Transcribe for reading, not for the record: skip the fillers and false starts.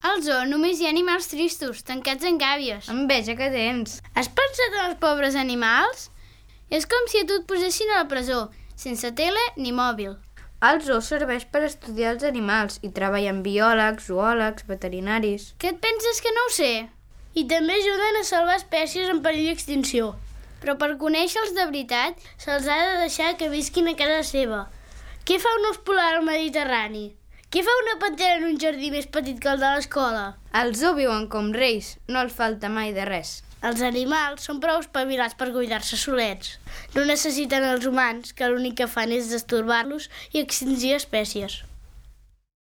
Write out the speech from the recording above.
Al zoo només hi ha animals tristos, tancats en gàbies. Enveja que tens. Has pensat en els pobres animals? És com si a tu et posessin a la presó, sense tele ni mòbil. El zoo serveix per estudiar els animals i treballen biòlegs, zoòlegs, veterinaris. Què et penses que no ho sé? I també ajuden a salvar espècies en perill d'extinció. Però per conèixer-los de veritat, se'ls ha de deixar que visquin a casa seva. Què fa un ós polar al Mediterrani? Què fa una pantera en un jardí més petit que el de l'escola? Al zoo viuen com reis, no els falta mai de res. Els animals són prou espavilats per cuidar-se solets. No necessiten els humans, que l'únic que fan és destorbar-los i extingir espècies.